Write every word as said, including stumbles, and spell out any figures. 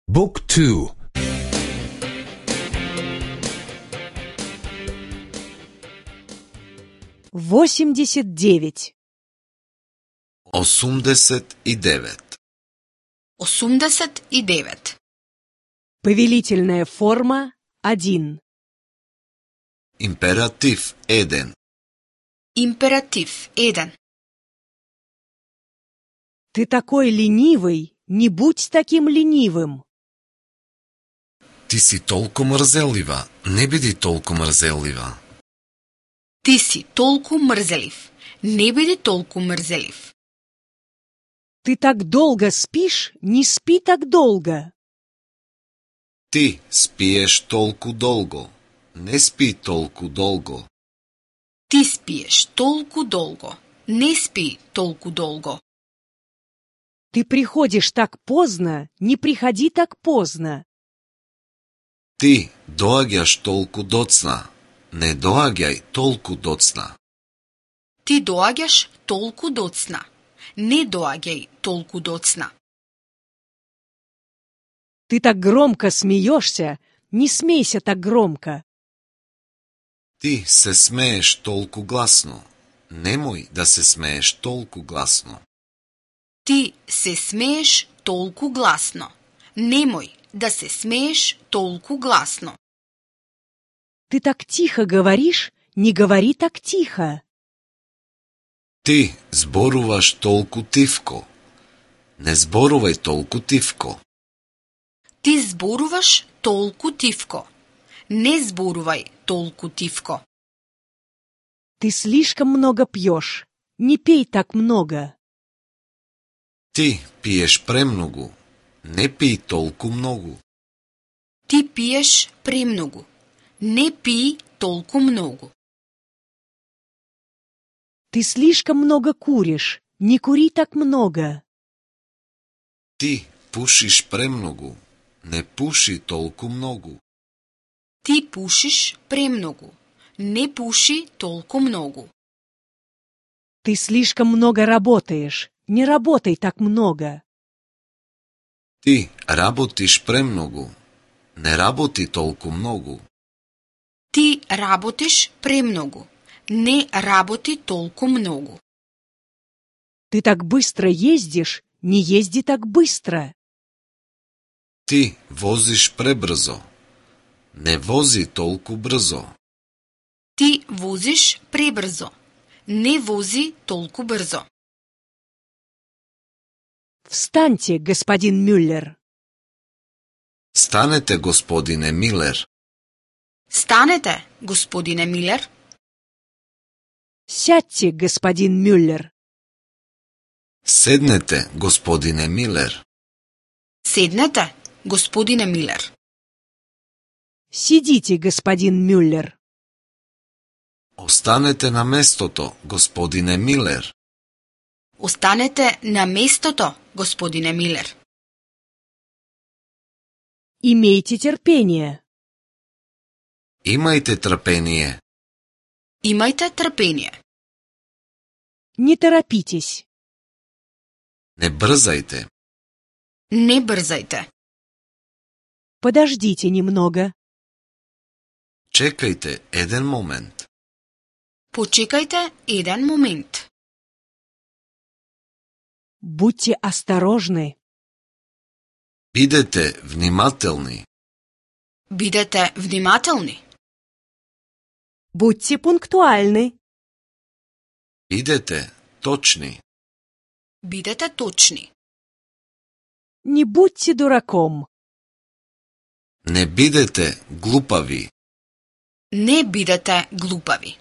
Book two. восемьдесят девять. осумдесет и девет. осумдесет и девет. Повелительная форма один. Императив еден. Императив еден. Ты такой ленивый, не будь таким ленивым. Ти си толку мрзелива, не биди толку мрзелива. Ти си толку мрзелив. Не биди толку мрзелив. Ты так долго спишь, не спи так долго. Ти спиеш толку долго, не спи толку долго. Ти спиеш толку долго. Не спи толку долго. Ты приходишь так поздно, не приходи так поздно. Ти доаѓаш толку доцна, не доаѓај толку доцна. Ти доаѓаш толку доцна. Не доаѓај толку доцна. Ты так громко смеешься, не смейся так громко. Ти се смееш толку гласно, немој да се смееш толку гласно. Ти се смееш толку гласно. Немој да се смееш толку гласно. Ты так тихо говоришь, не говори так тихо. Ти зборуваш толку тивко, не зборувај толку тивко. Ти зборуваш толку тивко. Не зборувај толку тивко. Ты слишком много пьешь, не пей так много. Ти пиеш премногу, не пий толку многу. Ти пиеш премногу. Не пи толку многу. Ты слишком много куришь, не кури так много. Ти пушиш премногу, не пуши толку многу. Ти пушиш премногу. Не пуши толку многу. Ты слишком много работаешь, не работай так много. Ти работиш премногу, не работи толку многу. Ти работиш премногу. Не работи толку многу. Ты так быстро ездишь, не езди так быстро. Ти возиш пребрзо, не вози толку брзо. Ти возиш пребрзо. Не вози толку брзо. Встаньте, господин Мюллер. Станете, господине Милер. Станете, господине Милер. Сядьте, господин Мюллер. Седнете, господине Милер. Седнете, господине Милер. Сидите, господин Мюллер. Останете на местото, господине Милер. Останете на местото, господине Милер. Имейте терпение. Имајте трпение. Имајте трпение. Не торопитесь. Не брзајте. Не брзајте. Подождите немного. Чекајте еден момент. Почекајте еден момент. Будьте осторожны. Бидете внимателни. Бидете внимателни. Будьте пунктуальны. Бидете точни. Бидете точни. Не будьте дураком. Не бидете глупави. Не бидете глупави.